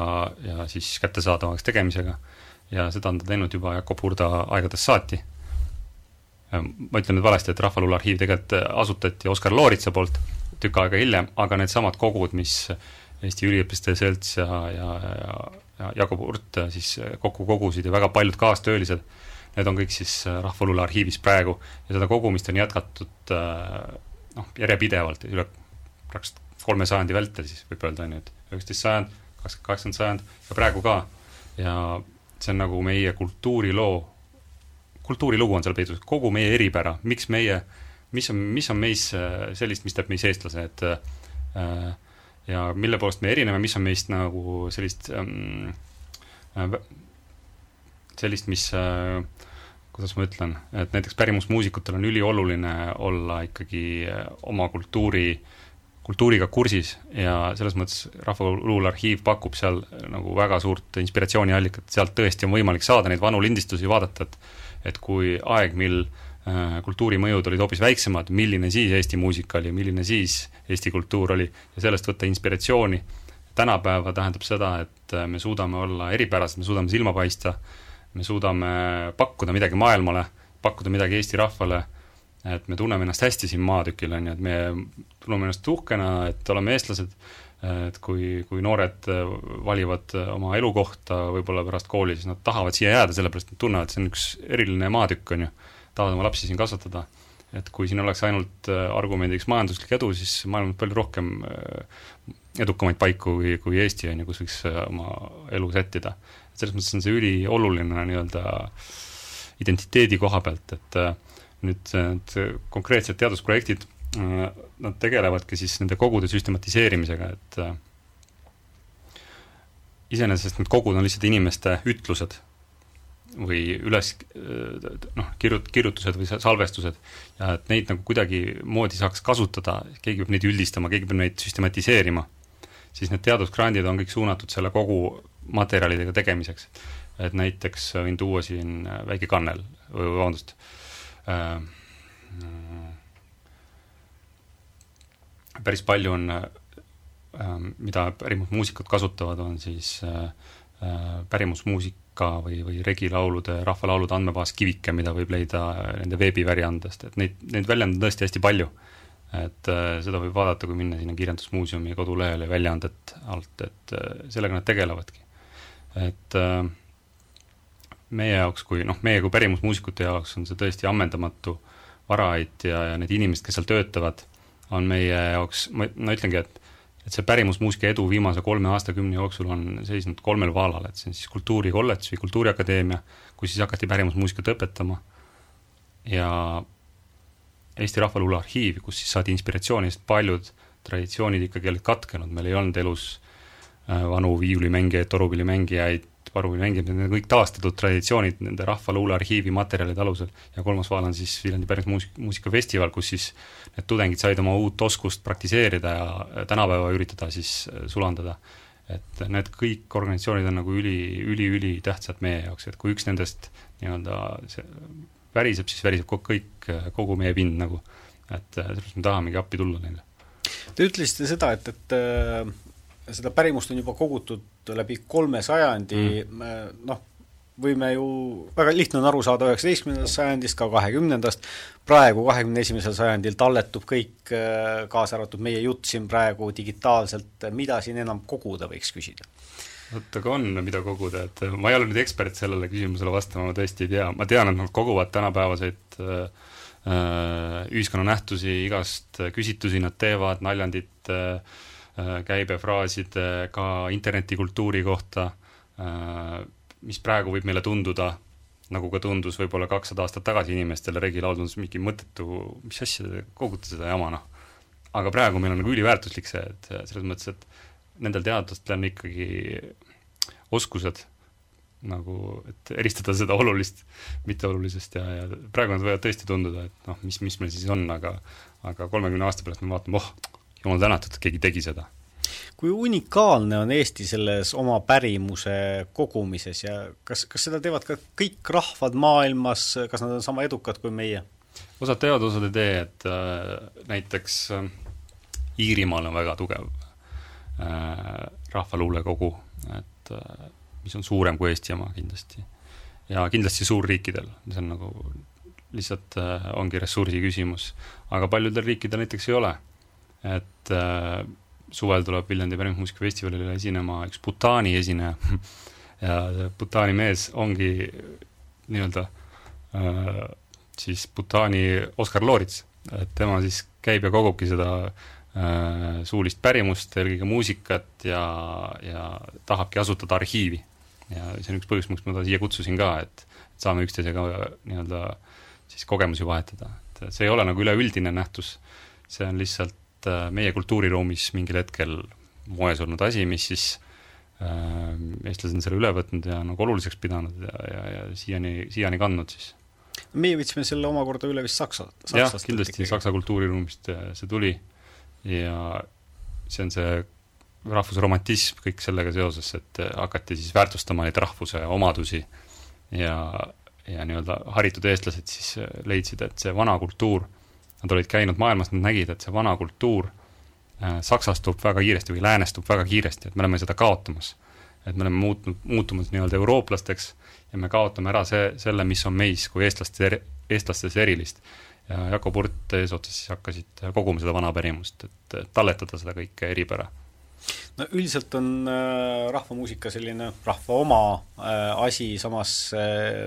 siis kättesaadavaks tegemisega ja seda on ta teinud juba Jakob Hurda aegadest saati. Ma ütlen nüüd valesti, et Rahvaluule arhiiv tegelikult asutati Oskar Looritsa poolt tükk aega hiljem, aga need samad kogud, mis Eesti Üliõpilaste Selts ja Jakob Hurt siis kokku kogusid ja väga paljud kaastöölised, need on kõik siis Rahvaluule arhiivis praegu ja seda kogumist on jätkatud järjepidevalt üle 3 sajandi vältel siis võib öelda, et 19. sajand, 18. sajand ja praegu ka. Ja see on nagu meie kultuurilugu on seal peidus, kogu meie eripära, mis on meis sellist, mis teeb meis eestlase, ja mille poolest me erineme, mis on meist nagu sellist, mis, kuidas ma ütlen, et näiteks pärimusmuusikutel on ülioluline olla ikkagi oma kultuuriga kursis ja selles mõttes Rahvaluule arhiiv pakub seal nagu väga suurt inspiratsiooniallikat, sealt tõesti on võimalik saada neid vanu lindistusi vaadata, et kui aeg, mil kultuurimõjud olid hoopis väiksemad, milline siis Eesti muusika oli, milline siis Eesti kultuur oli ja sellest võtta inspiratsiooni. Tänapäeva tähendab seda, et me suudame olla eripärased, me suudame silma paista, me suudame pakkuda midagi maailmale, pakkuda midagi Eesti rahvale, et me tunneme ennast hästi siin maatükil, et me tunneme ennast uhkena, et oleme eestlased, et kui noored valivad oma elukohta võib-olla pärast kooli, siis nad tahavad siia jääda, sellepärast nad tunnevad, et see on üks eriline maatükk, tahavad oma lapsi siin kasvatada. Et kui siin oleks ainult argumendiks majanduslik edu, siis maailm on palju rohkem edukamaid paiku kui Eesti, kus võiks oma elu sättida. Et selles mõttes on see ülioluline nii-öelda identiteedi koha pealt, et nüüd konkreetsed teadusprojektid, nad tegelevadki siis nende kogude süstematiseerimisega, et iseenesest need kogud on lihtsalt inimeste ütlused või kirjutused või salvestused ja et neid nagu kuidagi moodi saaks kasutada, keegi peab neid üldistama, keegi peab neid süstematiseerima, siis need teadusgrandid on kõik suunatud selle kogu materjalidega tegemiseks. Et näiteks võin tuua siin väike kannel, vabandust, päris palju on, mida pärimusmuusikud kasutavad, on siis pärimusmuusika või regilaulude, rahvalaulude andmebaas Kivike, mida võib leida nende veebiväljaandest, et neid väljand on tõesti hästi palju. Et seda võib vaadata, kui minna sinna Kirjandusmuuseumi kodulehele väljaandet alt, et sellega nad tegelevadki. Et meie jaoks, meie kui pärimusmuusikute jaoks on see tõesti ammendamatu varaid ja need inimesed, kes seal töötavad, on meie jaoks, ma ütlengi, et et see pärimusmuusika edu viimase 3 aastakümne jooksul on seisnud 3 vaalal, et see on siis kultuurikolledž või kultuuriakadeemia, kus siis hakati pärimusmuusikat õpetama, ja Eesti Rahvaluule arhiiv, kus siis saadi inspiratsiooni, sest paljud traditsioonid ikkagi olid katkenud, meil ei olnud elus vanu viiulimängijaid, torupillimängijaid, parupillimängijaid, need on kõik taastatud traditsioonid nende Rahvaluule arhiivi materjalide alusel, ja 3. vaal on siis Viljandi pärimusmuusikafestival, kus siis need tudengid said oma uut oskust praktiseerida ja tänapäeva üritada siis sulandada. Et need kõik organisatsioonid on nagu üli tähtsad meie jaoks, et kui üks nendest nii-öelda väriseb, siis väriseb kogu meie pind nagu, et sellest me tahamegi appi tulla neile. Te ütlesite seda, et seda pärimust on juba kogutud läbi 3 sajandi, võime ju, väga lihtne on aru saada 19. sajandist, ka 20. praegu 21. sajandil talletub kõik, kaasa arvatud meie jutt siin praegu digitaalselt, mida siin enam koguda võiks küsida? Aga on, mida koguda, et ma ei ole nüüd ekspert sellele küsimusele vastama, ma tõesti ei tea, ma tean, et nad koguvad tänapäevaseid ühiskonnanähtusi, igast küsitusi nad teevad, naljandit, käibefraasid ka internetikultuuri kohta, mis praegu võib meile tunduda, nagu ka tundus võib-olla 200 aastat tagasi inimestele, regilaul tundus mingi mõttetu, mis asja te kogute seda jama, Aga praegu meil on nagu üliväärtuslik see, et selles mõttes, et nendel teadlastel on ikkagi oskused nagu, et eristada seda olulist mitteolulisest ja praegu nad võivad tõesti tunduda, et mis meil siis on, aga 30 aasta pärast me vaatame, jumal tänatud, et keegi tegi seda. Kui unikaalne on Eesti selles oma pärimuse kogumises ja kas seda teevad ka kõik rahvad maailmas, kas nad on sama edukad kui meie? Osad teevad, osad ei tee, et näiteks Iirimaal on väga tugev rahvaluulekogu, et mis on suurem kui Eesti oma kindlasti. Ja kindlasti suurriikidel, see on nagu lihtsalt ongi ressursi küsimus, aga paljudel riikidel näiteks ei ole, et suvel tuleb Viljandi pärimusmuusikafestivalile esinema üks Bhutani esineja ja Bhutani mees ongi nii-öelda siis Bhutani Oskar Loorits, et tema siis käib ja kogubki seda suulist pärimust, eelkõige muusikat ja tahabki asutada arhiivi. Ja see on üks põhjus, miks ma ta siia kutsusin ka, et saame üksteisega nii-öelda siis kogemusi vahetada. Et see ei ole nagu üleüldine nähtus, see on lihtsalt meie kultuuriruumis mingil hetkel moes olnud asi, mis siis eestlased on selle üle võtnud ja nagu oluliseks pidanud ja siiani kandnud siis. Meie võtsime selle omakorda üle vist Saksast. Jah, kindlasti Saksa kultuuriruumist see tuli ja see on see rahvusromantism kõik sellega seoses, et hakati siis väärtustama neid rahvuse omadusi ja nii-öelda haritud eestlased siis leidsid, et see vana kultuur, nad olid käinud maailmas, nad nägid, et see vana kultuur saksastub väga kiiresti või läänestub väga kiiresti, et me oleme seda kaotamas. Et me oleme muutumas nii-öelda eurooplasteks ja me kaotame ära selle, mis on meis kui eestlastes erilist. Ja Jakob Hurt eesotsas siis hakkasid koguma seda vana pärimust, et talletada seda kõike eripära. No üldiselt on rahvamuusika selline rahva oma asi, samas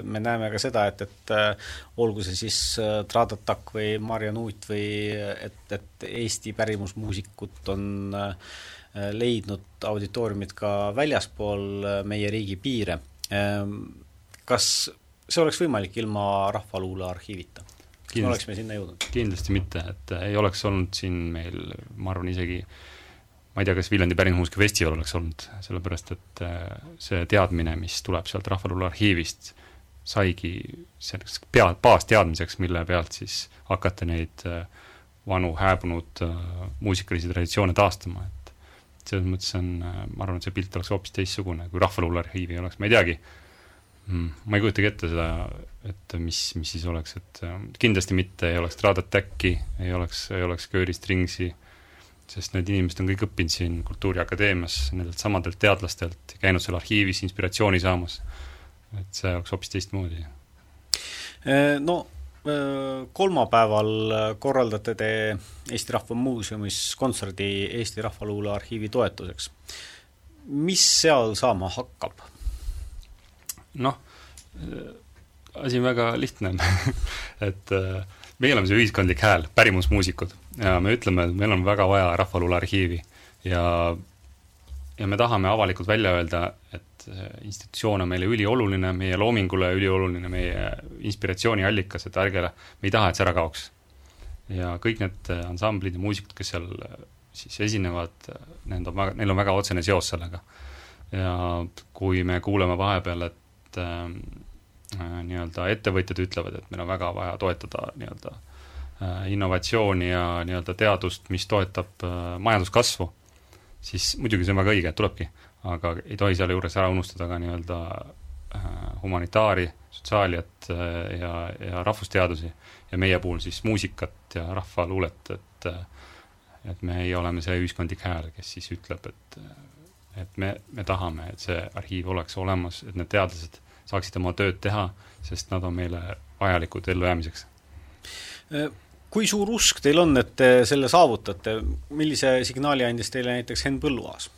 me näeme ka seda, et olgu see siis Tradatak või Marja Nuut või et Eesti pärimusmuusikut on leidnud auditooriumid ka väljaspool meie riigi piire. Kas see oleks võimalik ilma rahvaluule arhiivita? Kas me oleks me sinna jõudnud? Kindlasti mitte, et ei oleks olnud siin meil, ma arvan isegi ma ei tea, kas Viljandi pärimusmuusikafestival oleks olnud, sellepärast, et see teadmine, mis tuleb sealt rahvaluule arhiivist, saigi baasteadmiseks, mille pealt siis hakata neid vanu hääbunud muusikalisi traditsioone taastama. Et selles mõttes on, ma arvan, et see pilt oleks hoopis teissugune, kui rahvaluule arhiivi oleks. Ma ei teagi, ma ei kujutagi ette seda, et mis siis oleks, et kindlasti mitte ei oleks Tradatäkki, ei oleks Kööri Stringsi, sest need inimesed on kõik õppinud siin Kultuuriakadeemias nendelt samadelt teadlastelt, käinud seal arhiivis inspiratsiooni saamas, et see oleks hoopis teistmoodi. No, kolmapäeval korraldate te Eesti Rahva Muuseumis kontserdi Eesti Rahvaluule arhiivi toetuseks. Mis seal saama hakkab? Noh, asi on väga lihtne, et meie oleme see ühiskondlik hääl, pärimusmuusikud, ja me ütleme, et meil on väga vaja rahvaluule arhiivi, ja me tahame avalikult välja öelda, et institutsioon on meile ülioluline, meie loomingule ülioluline, meie inspiratsiooniallikas, et me ei taha, et see ära kaoks. Ja kõik need ansamblid ja muusikud, kes seal siis esinevad, neil on väga otsene seos sellega. Ja kui me kuuleme vahepeal, et nii-öelda ettevõtjad ütlevad, et meil on väga vaja toetada nii-öelda innovatsiooni ja nii-öelda teadust, mis toetab majanduskasvu, siis muidugi see on väga õige, et tulebki, aga ei tohi selle juures ära unustada ka nii-öelda humanitaari, sotsiaaliat ja rahvusteadusi ja meie puhul siis muusikat ja rahvaluulet, et me ei oleme see ühiskondlik hääl, kes siis ütleb, et me tahame, et see arhiiv oleks olemas, et need teadlased saaksid oma tööd teha, sest nad on meile vajalikud ellujäämiseks. Kui suur usk teil on, et te selle saavutate? Millise signaali andis teile näiteks Henn Põlluaas?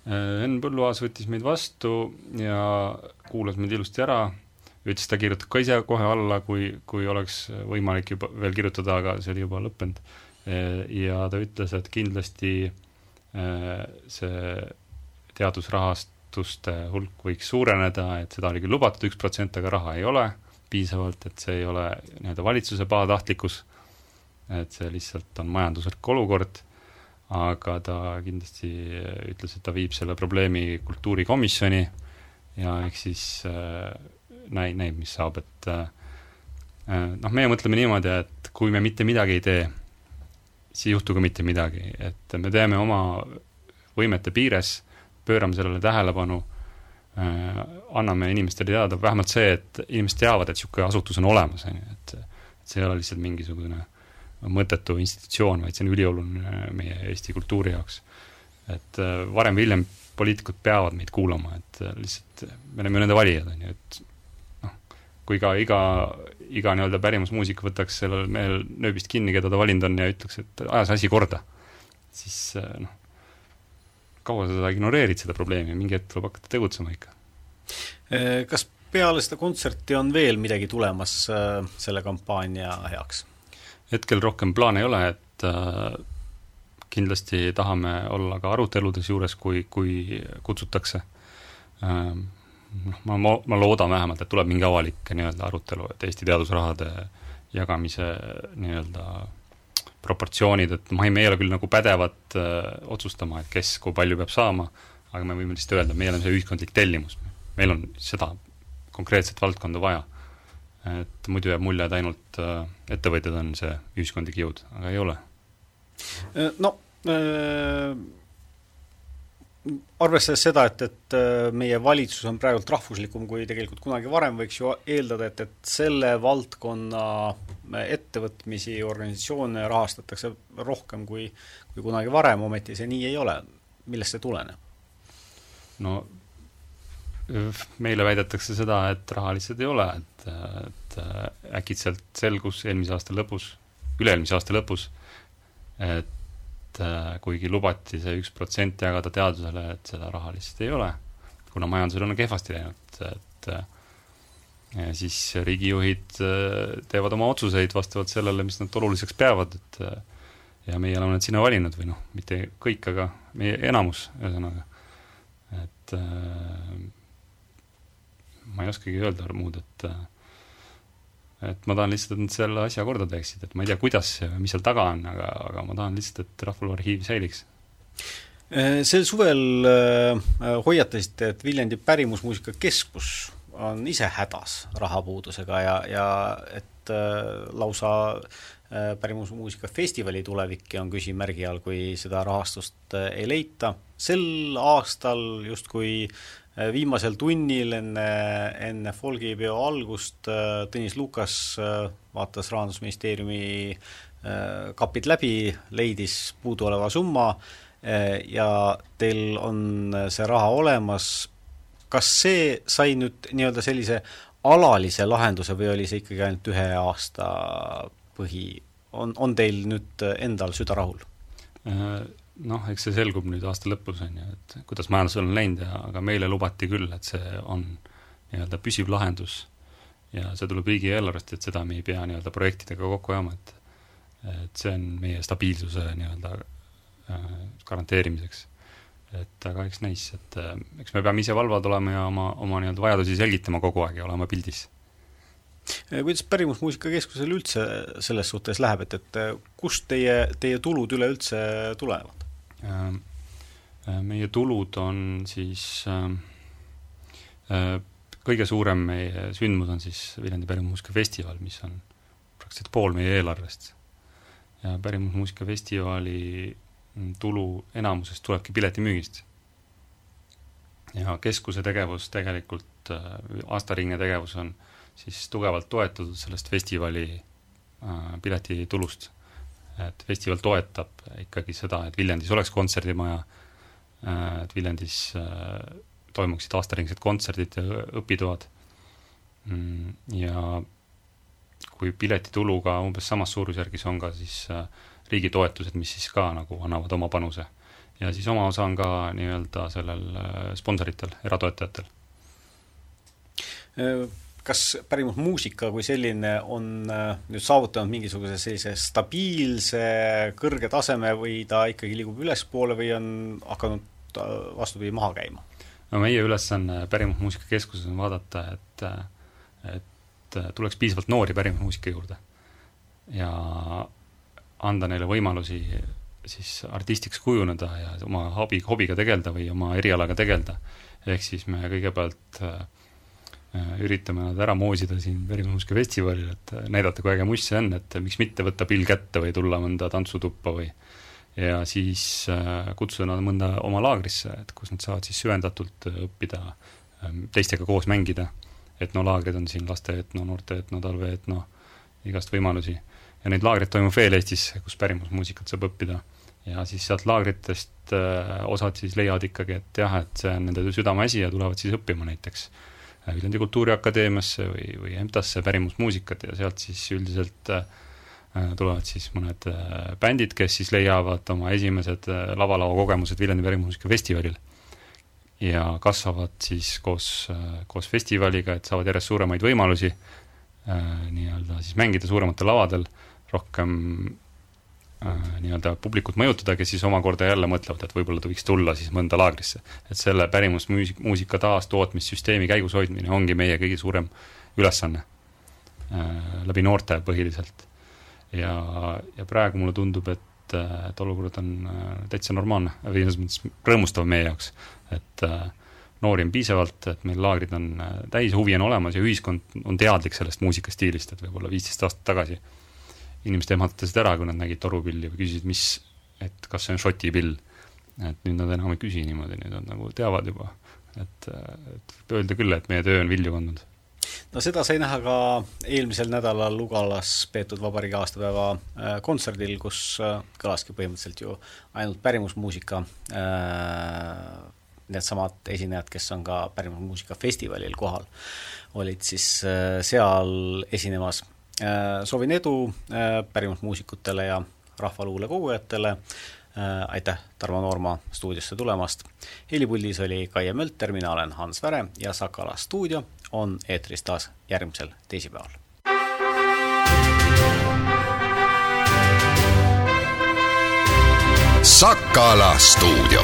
Henn Põlluaas võttis meid vastu ja kuulas meid ilusti ära, ütles, ta kirjutab ka ise kohe alla, kui oleks võimalik juba veel kirjutada, aga see oli juba lõppenud. Ja ta ütles, et kindlasti see teadusrahastuste hulk võiks suureneda, et seda oli küll lubatud 1%, aga raha ei ole piisavalt, et see ei ole nii-öelda valitsuse pahatahtlikkus, et see lihtsalt on majanduslik olukord, aga ta kindlasti ütles, et ta viib selle probleemi kultuurikomisjoni ja ehk siis näib, mis saab, et meie mõtleme niimoodi, et kui me mitte midagi ei tee, siis ei juhtu ka mitte midagi, et me teeme oma võimete piires, pöörame sellele tähelepanu, anname inimestele teada, vähemalt see, et inimesed teavad, et niisugune asutus on olemas, et see ei ole lihtsalt mingisugune mõttetu institutsioon, vaid see on ülioluline meie Eesti kultuuri jaoks. Et varem või hiljem poliitikud peavad meid kuulama, et lihtsalt me oleme nende valijad, et kui ka iga nii-öelda pärimusmuusik võtaks sellel mehel nööbist kinni, keda ta valinud on ja ütleks, et aja see asi korda, siis kaua seda ignoreerid seda probleemi ja mingi hetk tuleb hakata tegutsema ikka. Kas peale seda kontserti on veel midagi tulemas selle kampaania heaks? Hetkel rohkem plaane ei ole, et kindlasti tahame olla ka aruteludes juures, kui kutsutakse. Ma loodan vähemalt, et tuleb mingi avalik nii-öelda arutelu, et Eesti teadusrahade jagamise nii-öelda proportsioonid, et me ei ole küll nagu pädevad otsustama, et kes kui palju peab saama, aga me võime lihtsalt öelda, meil on see ühiskondlik tellimus. Meil on seda konkreetset valdkonda vaja. Et muidu jääb mulje, et ainult ettevõtjad on see ühiskondlik jõud, aga ei ole. Arvestades seda, et meie valitsus on praegult rahvuslikum kui tegelikult kunagi varem, võiks ju eeldada, et selle valdkonna ettevõtmisi organisatsioone rahastatakse rohkem kui kunagi varem, ometi see nii ei ole. Millest see tuleneb? Meile väidetakse seda, et raha lihtsalt ei ole, et äkitselt selgus üle-eelmise aasta lõpus, et kuigi lubati see 1% jagada teadusele, et seda raha lihtsalt ei ole, kuna majandusel on kehvasti läinud, et siis riigijuhid teevad oma otsuseid vastavalt sellele, mis nad oluliseks peavad, ja meie oleme nad sinna valinud või mitte kõik, aga meie enamus ühesõnaga, et ma ei oskagi öelda muud, et ma tahan lihtsalt, et nad selle asja korda teeksid, et ma ei tea, kuidas ja mis seal taga on, aga ma tahan lihtsalt, et Rahvaluuarhiiv säiliks. Sel suvel hoiatasite, et Viljandi pärimusmuusika keskus on ise hädas rahapuudusega ja et lausa pärimusmuusika festivali tulevik on küsimärgi all, kui seda rahastust ei leita. Sel aastal justkui viimasel tunnil enne folgipeo algust Tõnis Lukas vaatas Rahandusministeeriumi kapid läbi, leidis puuduoleva summa ja teil on see raha olemas. Kas see sai nüüd nii-öelda sellise alalise lahenduse või oli see ikkagi ainult 1 aasta põhi? On teil nüüd endal süda rahul? Eks see selgub nüüd aasta lõpus, et kuidas majandusel on läinud, aga meile lubati küll, et see on nii-öelda püsiv lahendus ja see tuleb riigieelarvest, et seda me ei pea nii-öelda projektidega kokku ajama, et see on meie stabiilsuse nii-öelda garanteerimiseks. Et aga eks näis, et eks me peame ise valvad olema ja oma nii-öelda vajadusi selgitama kogu aeg ja olema pildis. Kuidas Pärimusmuusika Keskusel üldse selles suhtes läheb, et kust teie tulud üleüldse tulevad? Meie tulud on siis kõige suurem meie sündmus on siis Viljandi Pärimusmuusika Festival, mis on praktiliselt pool meie eelarvest. Ja Pärimusmuusika Festivali tulu enamusest tulebki piletimüügist. Ja keskuse tegevus tegelikult, aastaringne tegevus on siis tugevalt toetatud sellest festivali piletitulust. Et festival toetab ikkagi seda, et Viljandis oleks kontserdimaja, et Viljandis toimuksid aastaringsed kontserdid ja õpitoad. Ja kui piletituluga umbes samas suurusjärgis on ka siis riigi toetused, mis siis ka nagu annavad oma panuse. Ja siis oma osa on ka nii-öelda sellel sponsoritel, eratoetajatel. Kas Pärimusmuusika kui selline on nüüd saavutanud mingisuguse sellise stabiilse, kõrge taseme või ta ikkagi liigub ülespoole või on hakanud vastupidi maha käima? No meie ülesanne Pärimusmuusika Keskuses on vaadata, et tuleks piisavalt noori pärimusmuusika juurde ja anda neile võimalusi siis artistiks kujuneda ja oma hobiga tegelda või oma erialaga tegelda. Ehk siis me kõigepealt üritame nad ära moosida siin Pärimusmuusika Festivalil, et näidata, kui äge muss see on, et miks mitte võtta pill kätte või tulla mõnda tantsutuppa või ja siis kutsuda nad mõnda oma laagrisse, et kus nad saavad siis süvendatult õppida teistega koos mängida. Etnolaagrid on siin laste etno, noorte etno, talve etno, igast võimalusi. Ja neid laagrid toimub veel Eestis, kus pärimusmuusikat saab õppida. Ja siis sealt laagritest osad siis leiavad ikkagi, et jah, et see on nende südameasi ja tulevad siis õppima näiteks Viljandi Kultuuriakadeemiasse või EMTA-sse pärimusmuusikat ja sealt siis üldiselt tulevad siis mõned bändid, kes siis leiavad oma esimesed lavalava kogemused Viljandi Pärimusmuusika Festivalil ja kasvavad siis koos festivaliga, et saavad järjest suuremaid võimalusi nii-öelda siis mängida suurematel lavadel, rohkem nii-öelda publikut mõjutada, kes siis omakorda jälle mõtlevad, et võib-olla ta võiks tulla siis mõnda laagrisse. Et selle pärimusmuusika taastootmissüsteemi käigus hoidmine ongi meie kõige suurem ülesanne läbi noorte põhiliselt. Ja praegu mulle tundub, et olukord on täitsa normaalne või rõõmustav meie jaoks, et noori on piisavalt, et meil laagrid on täis, huvi on olemas ja ühiskond on teadlik sellest muusikastiilist, et võib-olla 15 aastat tagasi inimesed ehmatasid ära, kui nad nägid torupilli või küsisid, et kas see on šoti pill. Et nüüd nad enam ei küsi niimoodi, nüüd nad nagu teavad juba. Et öelda küll, et meie töö on vilju kandnud. No seda sai näha ka eelmisel nädalal Lugalas peetud vabariigi aastapäeva kontserdil, kus kõlaski põhimõtteliselt ju ainult pärimusmuusika, need samad esinejad, kes on ka Pärimusmuusika Festivalil kohal, olid siis seal esinemas. Soovin edu pärimusmuusikutele ja rahvaluule kogujatele. Aitäh Tarmo Noorma stuudiosse tulemast. Helipuldis oli Kaie Mölter, mina olen Hans Väre ja Sakala stuudio on eetris taas järgmisel teisipäeval. Sakala stuudio.